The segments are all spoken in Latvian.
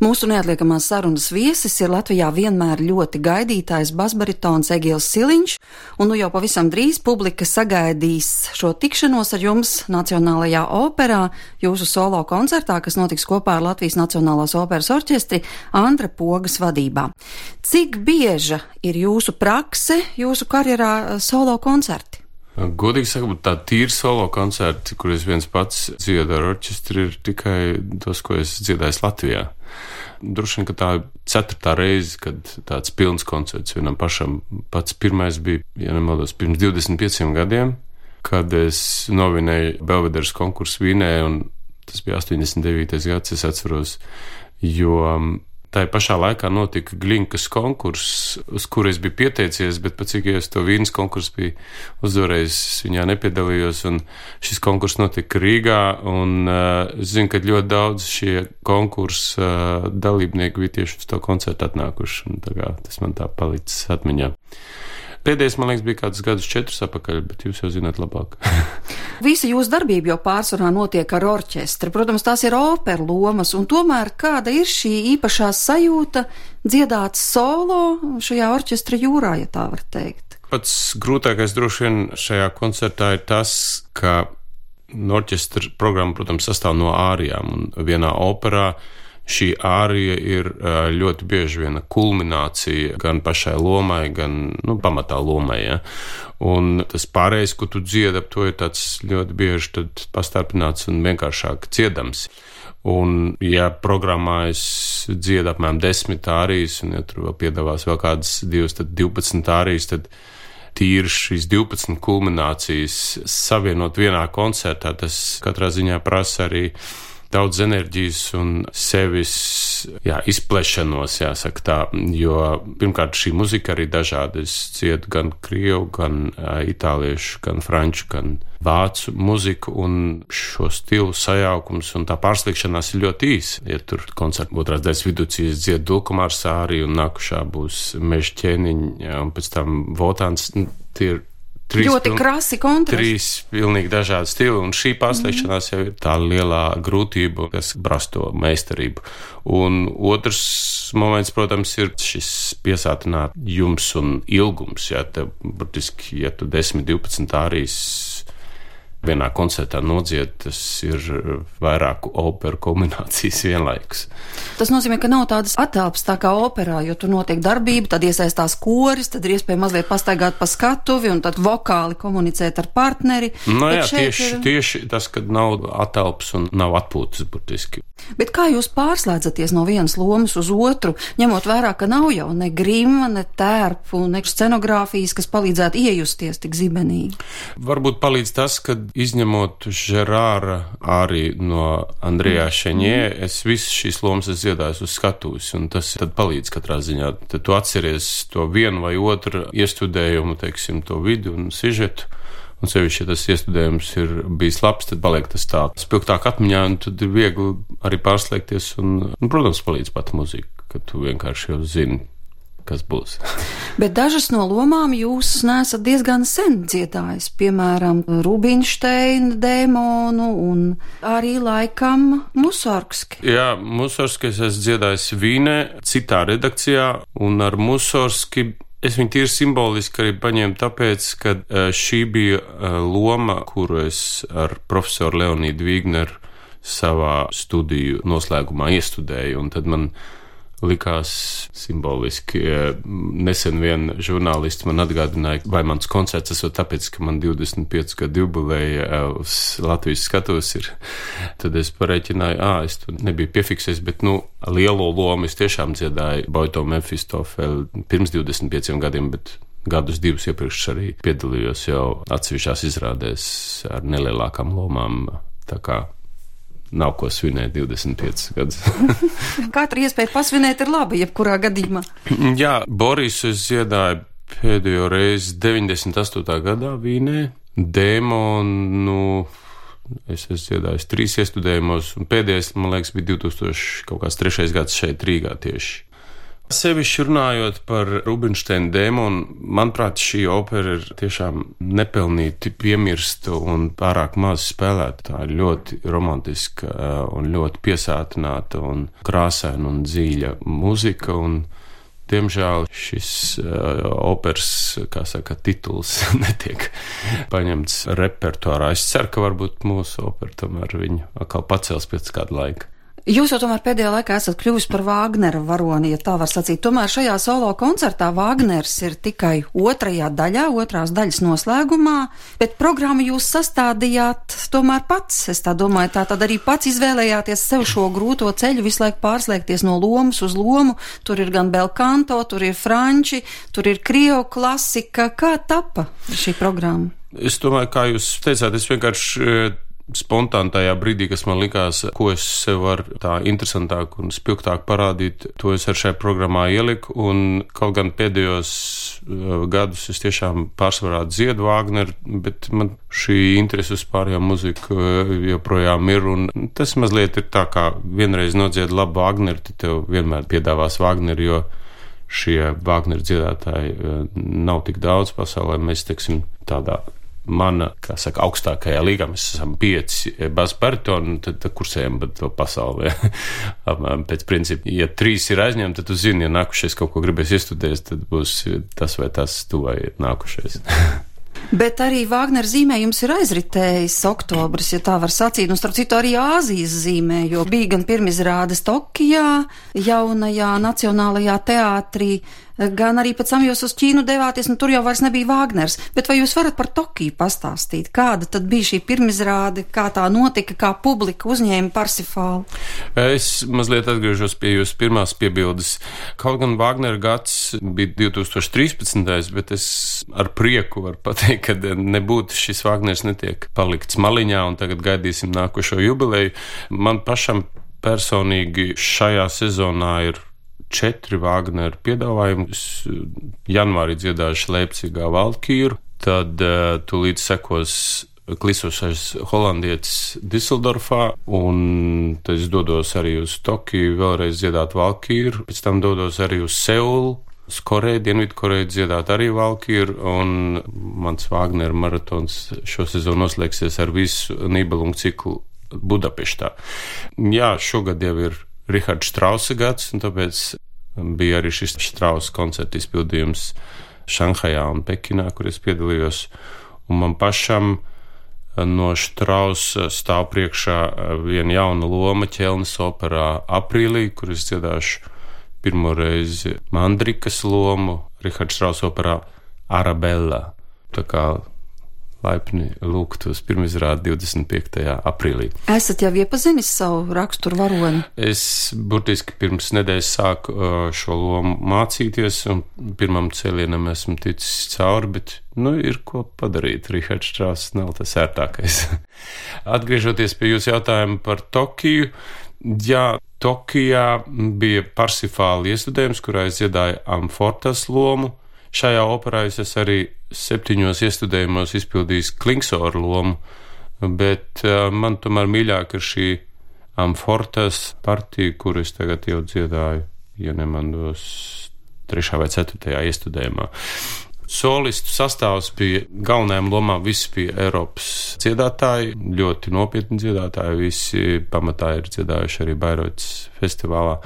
Mūsu neatliekamās sarunas viesis ir Latvijā vienmēr ļoti gaidītājs basbaritons Egils Siliņš, un nu jau pavisam drīz publika sagaidīs šo tikšanos ar jums Nacionālajā operā, jūsu solo koncertā, kas notiks kopā ar Latvijas Nacionālās operas orķestri Andra Pogas vadībā. Cik bieža ir jūsu prakse, jūsu karjerā solo koncerti? Godīgi sakot, tā tīri solo koncerti, kur es viens pats dziedu ar orķestri, ir tikai tos, ko es dziedāju Latvijā. Droši vien, ka tā ir 4. reize, kad tāds pilns koncerts vienam pašam. Pats pirmais bija, ja nemaldos, pirms 25 gadiem, kad es novinēju Belvederes konkursu Vīnē, un tas bija 89. gads, es atceros, jo tā pašā laikā notika Glinkas konkurss, uz kuru es biju pieteicies, bet pēc cik es to Vīnes konkursu biju uzvarējis, viņā nepiedalījos, un šis konkurss notika Rīgā, un es zinu, ka ļoti daudz šie konkursa dalībnieki bija tieši uz to koncertu atnākuši, un tas man tā palicis atmiņā. Pēdējais, man liekas, bija kāds gadus 4 atpakaļ, bet jūs jau zināt labāk. Visa jūsu darbība jau pārsvarā notiek ar orķestri. Protams, tās ir operu lomas, un tomēr kāda ir šī īpašā sajūta dziedāt solo šajā orķestra jūrā, ja tā var teikt? Pats grūtākais droši vien šajā koncertā ir tas, ka orķestra programma, protams, sastāv no ārijām, un vienā operā šī ārija ir ļoti bieži viena kulminācija gan pašai lomai, gan pamatā lomai. Ja? Un tas pārējais, ko tu dziedi ap to, ir tāds ļoti bieži tad pastarpināts un vienkāršāk dziedams. Un ja programmā es dziedu apmēram 10 ārijas, un ja tur vēl piedalās vēl kādas 2, tad 12 ārijas, tad tīri šīs 12 kulminācijas savienot vienā koncertā, tas katrā ziņā prasa arī daudz enerģijas un sevis izplešanos, jāsaka tā, jo pirmkārt šī muzika arī dažāda. Es dziedu gan krievu, gan itāliešu, gan franču, gan vācu muziku, un šo stilu sajaukums un tā pārsliekšanās ir ļoti īsa. Ja tur koncerta otrās daļas viducīs dziedu Dulkamārs āriju, un nākušā būs Meža ķēniņa, un pēc tam Votāns, tie ir ļoti krasi kontrasti. 3 pilnīgi dažādi stili, un šī pārslēgšanās jau ir tā lielā grūtība, kas brasto meistarību. Un otrs moments, protams, ir šis piesātinājums un ilgums. Ja burtiski, ja tu 10-12 ārijas vienā koncertā nodzied, tas ir vairāku operu kombinācijas vienlaikus. Tas nozīmē, ka nav tādas atelpas tā kā operā, jo tur notiek darbība, tad iesaistās koris, tad ir iespēja mazliet pastaigāt pa skatuvi un tad vokāli komunicēt ar partneri. Tieši tas, kad nav atelpas un nav atpūtas burtiski. Bet kā jūs pārslēdzaties no vienas lomas uz otru, ņemot vērā, ka nav jau ne grima, ne tērpu, ne scenogrāfijas, kas palīdzētu iejusties tik zibenīgi? Varbūt palīdz tas, ka izņemot Žerāra arī no Andrejā Šeņē, es visas šīs lomas dziedāju uz skatuves, un tas tad palīdz katrā ziņā. Tad tu atceries to vienu vai otru iestudējumu, teiksim, to vidu un sižetu. Un sevišķi, ja tas iestudējums ir bijis labs, tad paliek tas tā spilgtāk atmiņā, un tad ir viegli arī pārslēgties, un protams, palīdz pat muzika, ka tu vienkārši jau zini, kas būs. Bet dažas no lomām jūs nesat diezgan sen dziedājis, piemēram, Rubinšteina dēmonu un arī laikam Musorgski. Jā, Musorgski es esmu dziedājis Vīnē, citā redakcijā, un ar Musorgski es viņu tīri simboliski arī paņēmu tāpēc, ka šī bija loma, kuru es ar profesoru Leonīdu Vīgneru savā studiju noslēgumā iestudēju, un tad man likās simboliski. Nesen vien žurnālisti man atgādināja, vai mans koncerts esot tāpēc, ka man 25 gadu jubileja uz Latvijas skatuves ir. Tad es pareiķināju, es tu nebiju piefiksējis, bet lielo lomu es tiešām dziedāju Boito Mefistofeli pirms 25 gadiem, bet gadus 2 iepriekš arī piedalījos jau atsevišķās izrādēs ar nelielākām lomām, tā kā nav ko svinēt 25 gadus. Katra iespēja pasvinēt ir laba, jebkurā gadījumā. Jā, Borisu es dziedāju pēdējo reizi 98. gadā Vīnē. Dēmonu es esmu dziedājis 3 iestudējumos, un pēdējais, man liekas, bija 2003. gads šeit Rīgā tieši. Sevišķi runājot par Rubinšteina dēmonu, manuprāt, šī opera ir tiešām nepelnīti piemirsta un pārāk maz spēlēta. Tā ir ļoti romantiska un ļoti piesātināta un krāsaina un dziļa muzika. Un, diemžēl šis operas, kā saka, tituls netiek paņemts repertuārā. Es ceru, ka varbūt mūsu opera tomēr viņu atkal pacels pēc kāda laika. Jūs jau tomēr pēdējā laikā esat kļuvis par Vāgnera varoni, ja tā var sacīt. Tomēr šajā solo koncertā Vāgners ir tikai otrajā daļā, otrās daļas noslēgumā, bet programmu jūs sastādījāt tomēr pats. Es tā domāju, tā tad arī pats izvēlējāties sev šo grūto ceļu, visu laiku pārslēgties no lomas uz lomu. Tur ir gan belkanto, tur ir franči, tur ir krievu klasika. Kā tapa šī programma? Es domāju, kā jūs teicāt, es vienkārši spontāni tajā brīdī, kas man likās, ko es sev varu tā interesantāk un spilgtāk parādīt, to es ar šai programmā ieliku, un kaut gan pēdējos gadus es tiešām pārsvarā dziedu Vāgneru, bet man šī interese uz pārējo muziku joprojām ir, un tas mazliet ir tā, kā vienreiz nodzied labu Vāgneru, tad tev vienmēr piedāvās Vāgneru, jo šie Vāgneru dziedātāji nav tik daudz pasaulē, mēs, teiksim, tādā mana, kā saka, augstākajā līgā mēs esam 5 basbaritoni, tad kursējam pa to pasaulē. Pēc principa, ja 3 ir aizņemti, tad tu zini, ja nākušies kaut ko gribēs iestudēt, tad būs tas vai tas tuvai nākušies. Bet arī Vāgnera zīmējums ir aizritējis oktobris, ja tā var sacīt, un starp citu arī Āzijas zīmē, jo bija gan pirmizrādes Tokijā, jaunajā Nacionālajā teātrī, gan arī pēc tam jūs uz Ķīnu devāties, un tur jau vairs nebija Vāgners. Bet vai jūs varat par Tokiju pastāstīt? Kāda tad bija šī pirmizrāde, kā tā notika, kā publika uzņēma Parsifālu? Es mazliet atgriežos pie jūsu pirmās piebildes. Kaut gan Vāgnera gads bija 2013, bet es ar prieku varu pateikt, ka nebūtu šis Vāgners netiek palikts maliņā, un tagad gaidīsim nākošo jubileju. Man pašam personīgi šajā sezonā ir 4 Vāgnera piedāvājumi. Janvārī dziedāšu Leipcigā Valkīru, tad tūlīt sekos klisošais holandietis Diseldorfā, un tad es dodos arī uz Tokiju vēlreiz dziedāt Valkīru, pēc tam dodos arī uz Seulu, uz Koreju, Dienvidkoreju dziedāt arī Valkīru, un mans Vāgnera maratons šo sezonu noslēgsies ar visu Nībelungu ciklu Budapeštā. Jā, šogad jau ir Riharda Štrausa gads, un tāpēc bija arī šis Štrausa koncerta izpildījums Šanhajā un Pekinā, kur es piedalījos, un man pašam no Štrausa stāv priekšā viena jauna loma Ķelnes operā aprīlī, kur es dziedāšu pirmo reizi Mandrikas lomu Riharda Štrausa operā Arabella. Tā kā laipni lūgt uz pirmizrādi 25. aprīlī. Esat jau iepazinis savu raksturu varoni? Es burtiski pirms nedēļas sāku šo lomu mācīties, un pirmam cēlienam esmu ticis cauri, bet, ir ko padarīt. Rihards Štrauss nav tas ērtākais. Atgriežoties pie jūsu jautājuma par Tokiju, jā, Tokijā bija Parsifāla iestudējums, kurā es dziedāju Amfortas lomu. Šajā operā es arī 7 iestudējumos izpildījis Klingsora lomu, bet man tomēr mīļāk ir šī Amfortas partija, kuru es tagad jau dziedāju, ja nemandos 3. vai 4. iestudējumā. Solistu sastāvs bija galvenajām lomām, visi bija Eiropas dziedātāji, ļoti nopietni dziedātāji, visi pamatā ir dziedājuši arī Bairotas festivālā.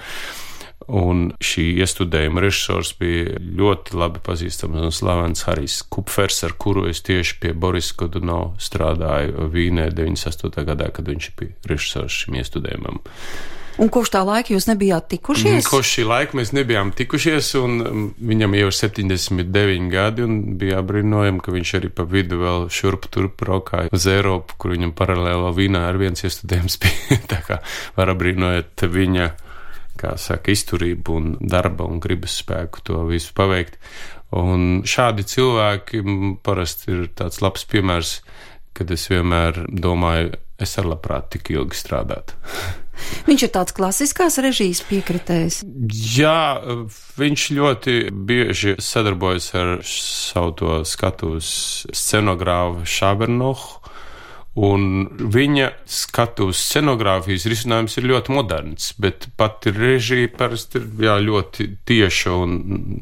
Un šī iestudējuma režisors bija ļoti labi pazīstams un slavens Harijs Kupfers, ar kuru es tieši pie Boris Godunova strādāju Vīnē 98. gadā, kad viņš bija režisors šim iestudējumam. Un kopš tā laika jūs nebijāt tikušies? Kopš šī laika mēs nebijām tikušies, un viņam jau ir 79 gadi, un bija apbrīnojami, ka viņš arī pa vidu vēl šurp turp braukāja uz Eiropu, kur viņam paralēli Vīnā ar viens iestudējums bija. Tā kā var apbrīnojot viņa, kā saka, izturību un darba un gribas spēku to visu paveikt. Un šādi cilvēki parasti ir tāds labs piemērs, kad es vienmēr domāju, es ar labprāt tik ilgi strādātu. Viņš ir tāds klasiskās režijas piekritējs? Jā, viņš ļoti bieži sadarbojas ar savu to skatuves scenogrāfu Šabernohu, Un viņa skatuves scenogrāfijas risinājums ir ļoti moderns, bet pati režija parasti ir ļoti tieša un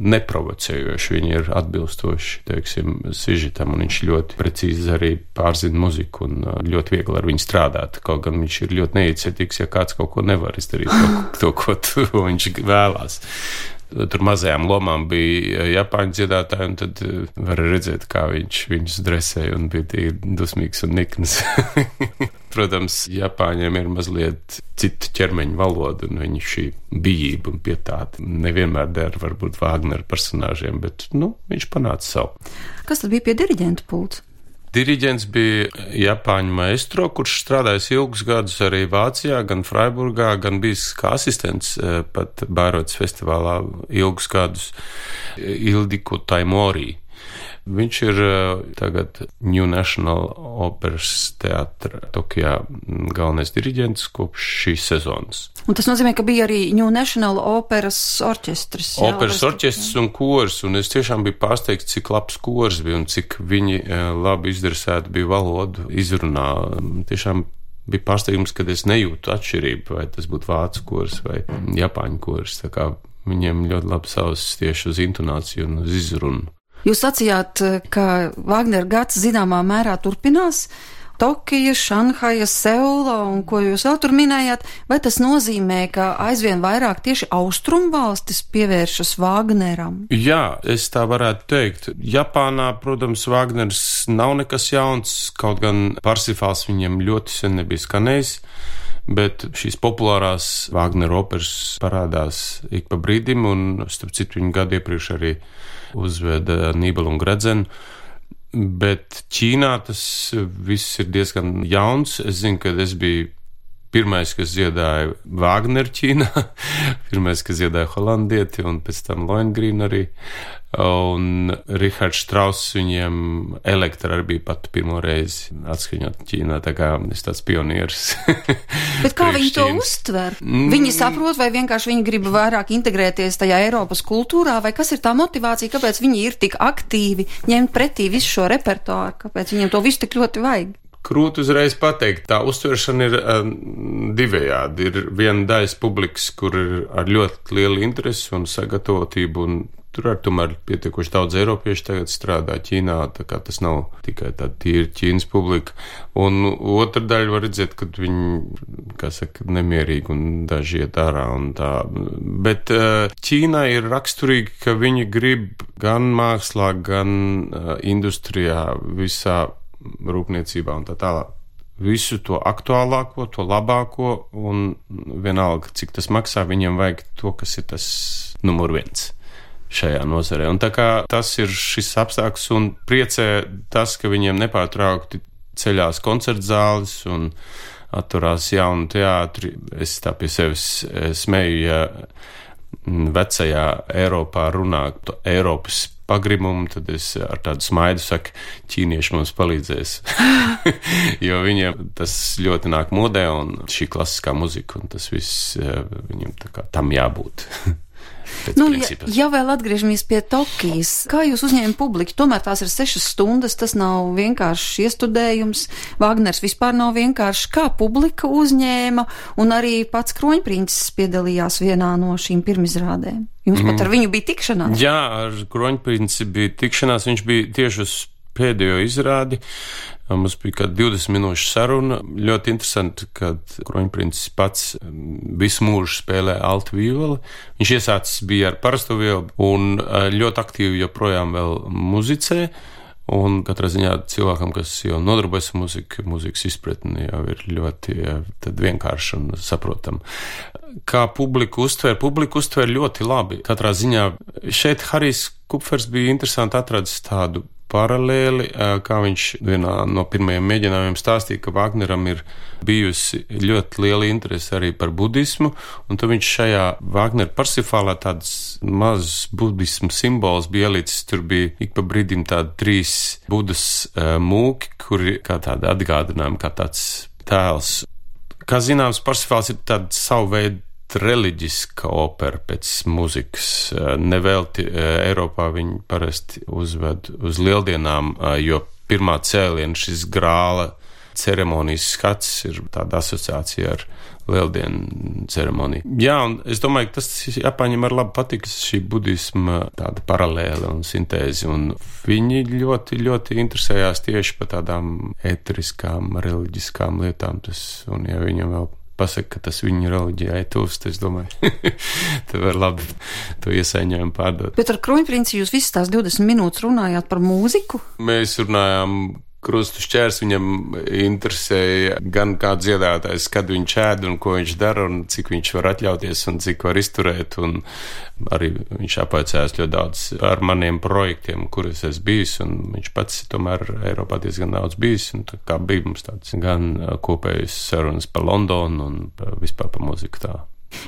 neprovocējoša. Viņa ir atbilstoši, teiksim, sižetam, un viņš ļoti precīzi arī pārzina muziku un ļoti viegli ar viņu strādāt. Kaut gan viņš ir ļoti neiecietīgs, ja kāds kaut ko nevar izdarīt, ko viņš vēlās. Tur mazajām lomām bija japāņu dziedātāji, un tad var redzēt, kā viņš viņus dresēja un bija tik dusmīgs un nikns. Protams, Japāņiem ir mazliet cita ķermeņa valoda, un viņa šī bijība un pietāte nevienmēr der varbūt Vāgnera personāžiem, bet, viņš panāca savu. Kas tad bija pie diriģenta pults? Diriģents bija Japāņu maestro, kurš strādājis ilgus gadus arī Vācijā, gan Freiburgā, gan bijis kā asistents pat Bairotas festivālā ilgus gadus Ildiko Taimori. Viņš ir tagad New National Operas teātra Tokijā galvenais diriģents kopš šīs sezonas. Un tas nozīmē, ka bija arī New National Operas orķestris. Operas orķestris un kors, un es tiešām biju pārsteigts, cik labs kors bija un cik viņi labi izdresēti bija valodu izrunā. Tiešām bija pārsteigums, kad es nejūtu atšķirību, vai tas būtu vācu kors vai japāņu kors. Tā kā viņiem ļoti labi savas tieši uz intonāciju un uz izrunu. Jūs sacījāt, ka Vāgnera gads zināmā mērā turpinās. Tokija, Šanhaja, Seula un ko jūs vēl tur minējāt, vai tas nozīmē, ka aizvien vairāk tieši austrumvalstis pievēršas Vāgneram? Jā, es tā varētu teikt. Japānā, protams, Vāgners nav nekas jauns, kaut gan Parsifāls viņiem ļoti sen nebija skanējis, bet šīs populārās Vāgnera operas parādās ik pa brīdim, un starp citu viņu gadu iepriekš arī uzveda Nībelu un Gredzenu. Bet Ķīnā tas viss ir diezgan jauns. Es zinu, ka es biju pirmais, kas dziedāja Vāgneru Ķīnā, pirmais, kas dziedāja holandieti, un pēc tam Lohengrin arī. Un Rihards Strauss viņiem Elektra arī bija pat pirmo reizi atskaņot Ķīnā, tā kā es tāds pionieris. Bet kā viņi to uztver? Viņi saprot, vai vienkārši viņi grib vairāk integrēties tajā Eiropas kultūrā, vai kas ir tā motivācija, kāpēc viņi ir tik aktīvi ņemt pretī visu šo repertuāru, kāpēc viņiem to visu tik ļoti vajag? Grūti uzreiz pateikt, tā uztveršana ir divējādi. Ir viena daļas publikas, kur ir ar ļoti lielu interesi un sagatavotību, un tur ar tomēr pietiekoši daudz eiropiešu tagad strādā Ķīnā, tā kā tas nav tikai tāda tīra Ķīnas publika. Un otra daļa var redzēt, ka viņi, kā saka, nemierīgi un daži iet ārā un tā. Bet Ķīnā ir raksturīgi, ka viņi grib gan mākslā, gan industrijā visā rūpniecībā un tā tālāk. Visu to aktuālāko, to labāko, un vienalga, cik tas maksā, viņiem vajag to, kas ir tas numur viens šajā nozarē. Un tā kā tas ir šis apstākļus, un priecē tas, ka viņiem nepārtraukti ceļās koncertzāles un atturās jaunu teātri. Es tā pie sevis smeju, ja vecajā Eiropā runā Eiropas pagrimumu, tad es ar tādu smaidu saku, ķīnieši mums palīdzēs. Jo viņiem tas ļoti nāk modē, un šī klasiskā muzika, un tas viss viņam tā kā tam jābūt. Ja vēl atgriežamies pie Tokijas, kā jūs uzņēma publiku? Tomēr tās ir 6 stundas, tas nav vienkāršs iestudējums. Vāgners vispār nav vienkārši. Kā publika uzņēma, un arī pats Kroņprincis piedalījās vienā no šīm pirmizrādēm? Jums pat ar viņu bija tikšanās? Jā, ar Kroņprinci bija tikšanās. Viņš bija tieši uz pēdējo izrādi. Mums bija kāda 20 minūšu saruna. Ļoti interesanti, kad Kroņprincis pats visu mūžu spēlē altu violi. Viņš iesācis bija ar parasto violi un ļoti aktīvi joprojām vēl muzicē. Un katrā ziņā cilvēkam, kas jau nodarbojas ar muziku, mūzikas izpratni jau ir ļoti vienkārši un saprotam. Kā publiku uztver ļoti labi. Katrā ziņā šeit Harijs Kupfers bija interesanti atradis tādu paralēli, kā viņš vienā no pirmajiem mēģinājumiem stāstīja, ka Vāgneram ir bijusi ļoti liela interese arī par budismu, un tad viņš šajā Vāgnera Parsifālā tāds mazs budismu simbols bija ielicis. Tur bija ik pa brīdim tādi 3 budas mūki, kuri kā tāda atgādinājuma, kā tāds tēls. Kā zināms, Parsifāls ir tāda savu veidu reliģiska opera pēc muzikas. Nevelti Eiropā viņi parasti uzved uz lieldienām, jo pirmā cēliena šis grāla ceremonijas skats ir tāda asociācija ar lieldienu ceremoniju. Jā, un es domāju, ka tas Japāņiem ar labu patiks šī budisma tāda paralēla un sintēze, un viņi ļoti, ļoti interesējās tieši par tādām eteriskām, reliģiskām lietām, un ja viņam vēl pasaka, ka tas viņa reliģijai tuvs, es domāju, te var labi to iesaiņojumu pārdot. Bet ar Kruņprinci jūs visas tās 20 minūtes runājāt par mūziku? Mēs runājām krustu šķērs, viņam interesēja gan kā dziedātājs, kad viņš ēd un ko viņš dara un cik viņš var atļauties un cik var izturēt, un arī viņš apvaicājās ļoti daudz ar maniem projektiem, kuros es bijis, un viņš pats tomēr Eiropā diezgan daudz bijis, un tā kā bija mums tāds gan kopējas sarunas par Londonu un vispār par mūziku tā.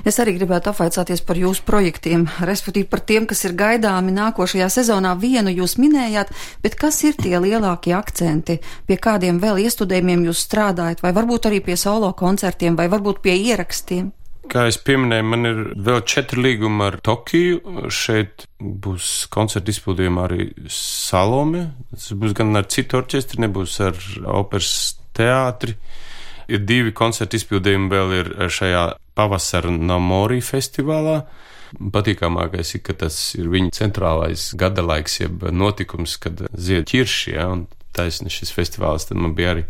Es arī gribētu apvaicāties par jūsu projektiem, respektīvi par tiem, kas ir gaidāmi nākošajā sezonā. Vienu jūs minējāt, bet kas ir tie lielākie akcenti, pie kādiem vēl iestudējumiem jūs strādājat, vai varbūt arī pie solo koncertiem, vai varbūt pie ierakstiem? Kā es pieminēju, man ir vēl 4 līgumi ar Tokiju. Šeit būs koncerta izpildījumā arī Salome. Tas būs gan ar citu orķestri, nebūs ar operas teātri. Ir 2 koncerta izpildījumi vēl ir šajā pavasara Namori festivālā. Patīkamākais ir, ka tas ir viņa centrālais gada laiks, jeb notikums, kad zied ķirši, ja, un taisni šis festivāls, tad man bija arī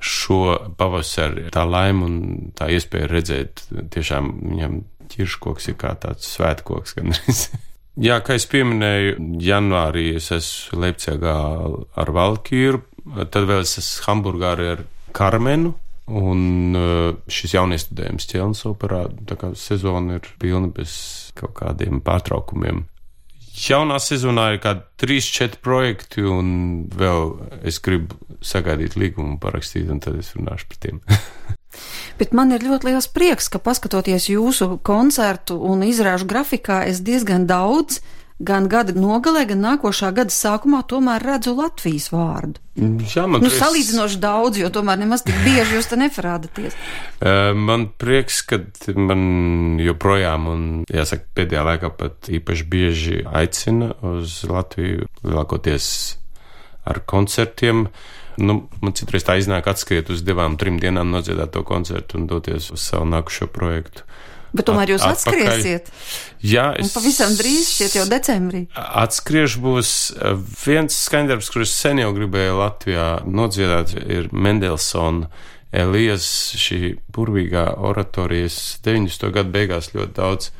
šo pavasari tā laima un tā iespēja redzēt, tiešām viņam ķirškoks ir kā tāds svētkoks gandrīz. Jā, kā es pieminēju, janvārī es esmu Leipcigā ar Valkīru, tad vēl es esmu Hamburgā ar Karmenu, un šis jauniestudējums Ķelnas operā, tā kā sezona ir pilna bez kaut kādiem pārtraukumiem. Jaunā sezonā ir kādi 3-4 projekti, un vēl es gribu sagaidīt līgumu parakstīt, un tad es runāšu par tiem. Bet man ir ļoti liels prieks, ka paskatoties jūsu koncertu un izrāžu grafikā, es diezgan daudz gan gada nogalē, gan nākošā gada sākumā tomēr redzu Latvijas vārdu. Jā, man prieks. Salīdzinoši daudz, jo tomēr nemaz tik bieži jūs te neparādaties. Man prieks, ka man joprojām, un jāsaka, pēdējā laikā pat īpaši bieži aicina uz Latviju, lielākoties ar koncertiem. Man citreiz tā iznāk atskriet uz 2-3 dienām nodziedāt to koncertu un doties uz savu nākušo projektu. Bet tomēr jūs atskriesiet. Jā, un pavisam drīz, šķiet jau decembrī. Atskrieš būs viens skaņdarbs, kurus sen jau gribēju Latvijā nodziedāt, ir Mendelsona Elijas, šī burvīgā oratorijas 90. gadu beigās ļoti daudz.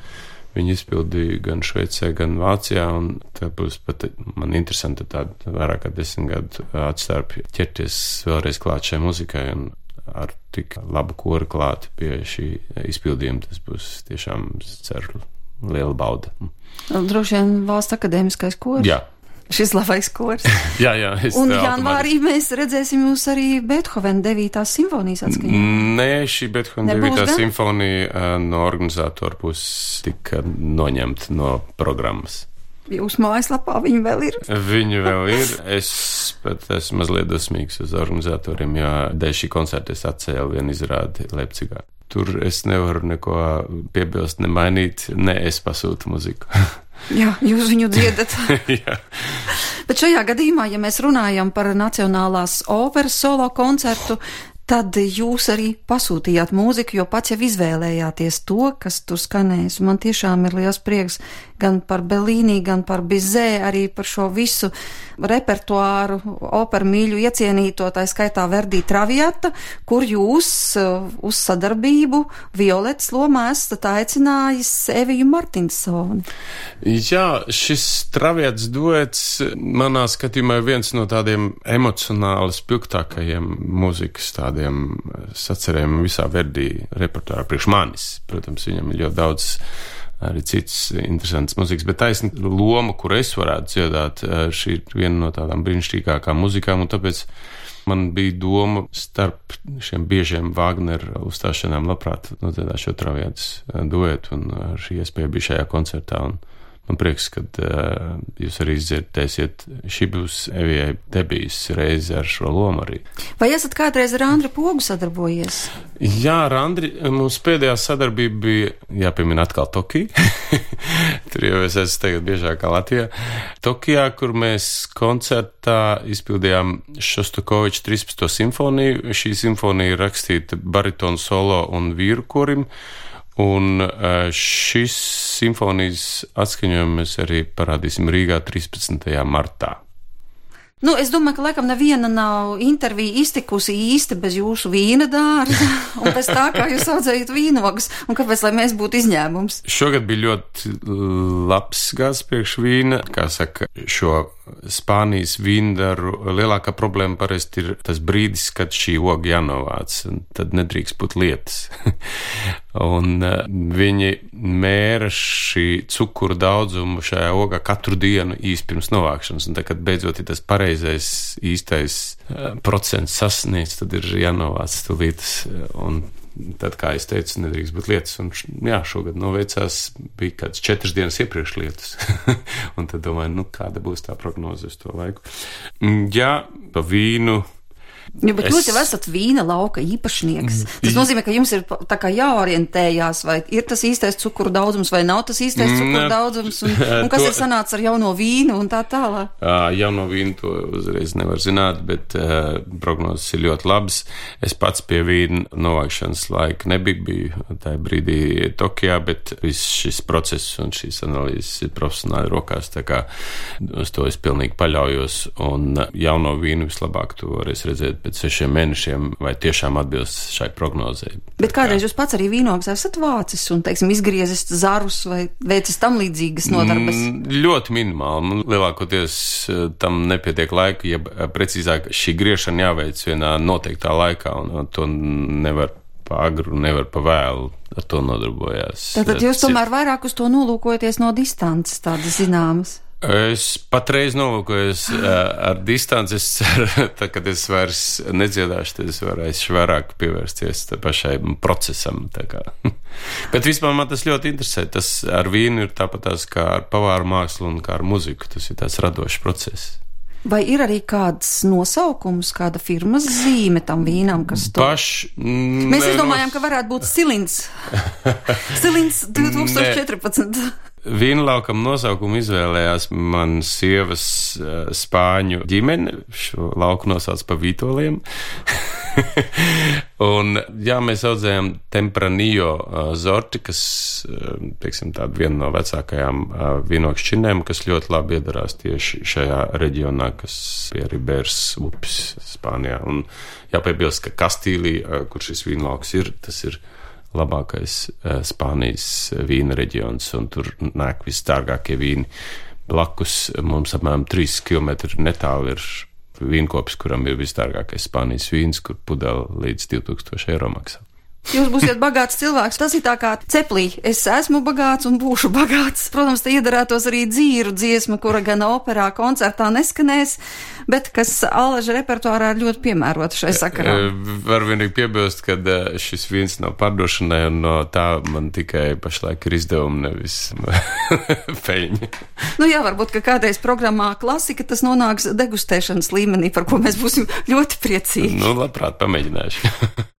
Viņi izpildīja gan Šveicē, gan Vācijā, un tā būs pat man interesanti tāda vairāk kā 10 gadu atstarpi ķerties vēlreiz klāt šai muzikai, un ar tik labu koru klāt pie šī izpildījuma, tas būs tiešām, ceru, liela bauda. Droši vien Valsts akadēmiskais kors? Jā. Šis labais kors. Jā. Un janvārī mēs redzēsim jūs arī Beethovena 9. simfonijas atskaņā. Nē, šī Beethovena 9. simfonija no organizatora būs tik noņemta no programmas. Jūsu mājaslapā viņa vēl ir? Viņa vēl ir. Es pat esmu mazliet dosmīgs uz organizatoriem, jo dēļ šī koncerta es atcēlu vienu izrādi Leipcigā. Tur es nevaru neko piebilst, ne mainīt, ne es pasūtu muziku. Jā, jūs viņu dziedat. Jā. Bet šajā gadījumā, ja mēs runājam par Nacionālās operas solo koncertu, tad jūs arī pasūtījāt mūziku, jo pats jau izvēlējāties to, kas tur skanēs. Man tiešām ir liels prieks gan par Bellini, gan par Bizet, arī par šo visu repertuāru, operu mīļu iecienīto, tā skaitā Verdi Traviata, kur jūs uz sadarbību Violetas lomā esat aicinājis Eviju Martinsoni. Jā, šis Traviatas duets manā skatījumā ir viens no tādiem emocionāli spilgtākajiem mūzikas tādiem sacerējumiem visā Verdi repertuārā priekš manis. Protams, viņam ir ļoti daudz arī cits interesants mūzikas, bet taisni loma, kur es varētu dziedāt, šī ir viena no tādām brīnišķīgākām muzikām, un tāpēc man bija doma starp šiem biežiem Vāgnera uzstāšanām labprāt nodziedāt šo Traviatas duetu, un šī iespēja bija šajā koncertā, un Man prieks, ka jūs arī izdzirdēsiet. Šī būs Evijai debijas reize ar šo lomu arī. Vai esat kādreiz ar Andri Pogu sadarbojies? Jā, ar Andri mums pēdējā sadarbība bija, jāpiemina atkal Tokija. Tur jau es esmu tagad biežāk kā Latvijā. Tokijā, kur mēs koncertā izpildījām Šostakoviča 13. simfoniju. Šī simfonija ir rakstīta baritonu solo un vīru korim. Un šis simfonijas atskaņojumu mēs arī parādīsim Rīgā 13. martā. Es domāju, ka laikam neviena nav intervija iztikusi īsti bez jūsu vīna dārza un pēc tā, kā jūs audzējat vīnogus, un kāpēc, lai mēs būtu izņēmums? Šogad bija ļoti labs gads priekš vīna, kā saka, šo Spānijas vīndaru lielākā problēma parasti ir tas brīdis, kad šī oga jānovāc, un tad nedrīkst būt lietas. Un viņi mēra šī cukuru daudzumu šajā ogā katru dienu īsti pirms novākšanas, un tad, kad beidzot ir tas pareizais īstais procents sasniegts, tad ir jānovāc tūlītas, un tad, kā es teicu, nedrīkst būt lietas, un jā, šogad noveicās, bija kāds 4 dienas iepriekš lietas, un tad domāju, kāda būs tā prognoze uz to laiku. Jā, pa vīnu. Bet jūs jau esat vīna lauka īpašnieks. Tas nozīmē, ka jums ir tā kā jāorientējās, vai ir tas īstais cukuru daudzums, vai nav tas īstais cukuru daudzums, un kas ir sanācis ar jauno vīnu un tā tālāk. Jauno vīnu to uzreiz nevar zināt, bet prognozes ir ļoti labas. Es pats pie vīna novākšanas laika biju tajā brīdī Tokijā, bet viss šis process un šīs analīzes ir profesionāli rokās, tā kā uz to es pilnīgi paļaujos, un jauno vīnu vislabāk to varēs redzēt pēc 6 mēnešiem, vai tiešām atbilst šai prognozei. Bet kādreiz jūs pats arī vīnogs esat vācis un, teiksim, izgriezis zarus vai veicis tam līdzīgas nodarbes? Ļoti minimāli. Lielākoties tam nepietiek laika, ja precīzāk šī griešana jāveic vienā noteiktā laikā, un to nevar pa agru, nevar pa vēlu. Ar to nodarbojās. Tātad jūs tomēr vairāk uz to nolūkojaties no distances, tādas zināmas? Es patreiz nolūkojos ar distanci, es ceru, kad es vairs nedziedāšu, tad es varēšu vairāk pievērsties pašai procesam. Bet vispār man tas ļoti interesē. Tas ar vīnu ir tāpatās kā ar pavāru mākslu un kā ar muziku. Tas ir tāds radošs process. Vai ir arī kāds nosaukums, kāda firmas zīme tam vīnam, kas to... Mēs izdomājām, ka varētu būt Silins. Silins 2014. Vīnlaukam nosaukumu izvēlējās man sievas spāņu ģimene. Šo lauku nosauc pa Vītoliem. Un, jā, mēs audzējām Tempranillo sorti, kas, teiksim, tāda viena no vecākajām vīnokšķinēm, kas ļoti labi iedarās tieši šajā reģionā, kas pie Ribēras upes Spānijā. Un jāpiebilst, ka Kastīlī, kur šis vīnlauks ir, tas ir labākais Spānijas vīna reģions, un tur nāk visdārgākie vīni. Blakus mums apmēram 3 km netālu ir vīnkopis, kuram ir visdārgākais Spānijas vīns, kur pudele līdz 2000 eiro maksā. Jūs būsiet bagāts cilvēks. Tas ir tā kā ceplī. Es esmu bagāts un būšu bagāts. Protams, te iedarētos arī dzīru dziesma, kura gan operā, koncertā neskanēs, bet kas Alaža repertuārā ir ļoti piemērota šai sakarā. Var vienīgi piebilst, ka šis vīns nav pārdošanai, un no tā man tikai pašlaik ir izdevumi, nevis peļņi. Jā, varbūt, ka kādreiz programmā klasika tas nonāks degustēšanas līmenī, par ko mēs būsim ļoti priecīgi. Labprāt, pamēģināšu.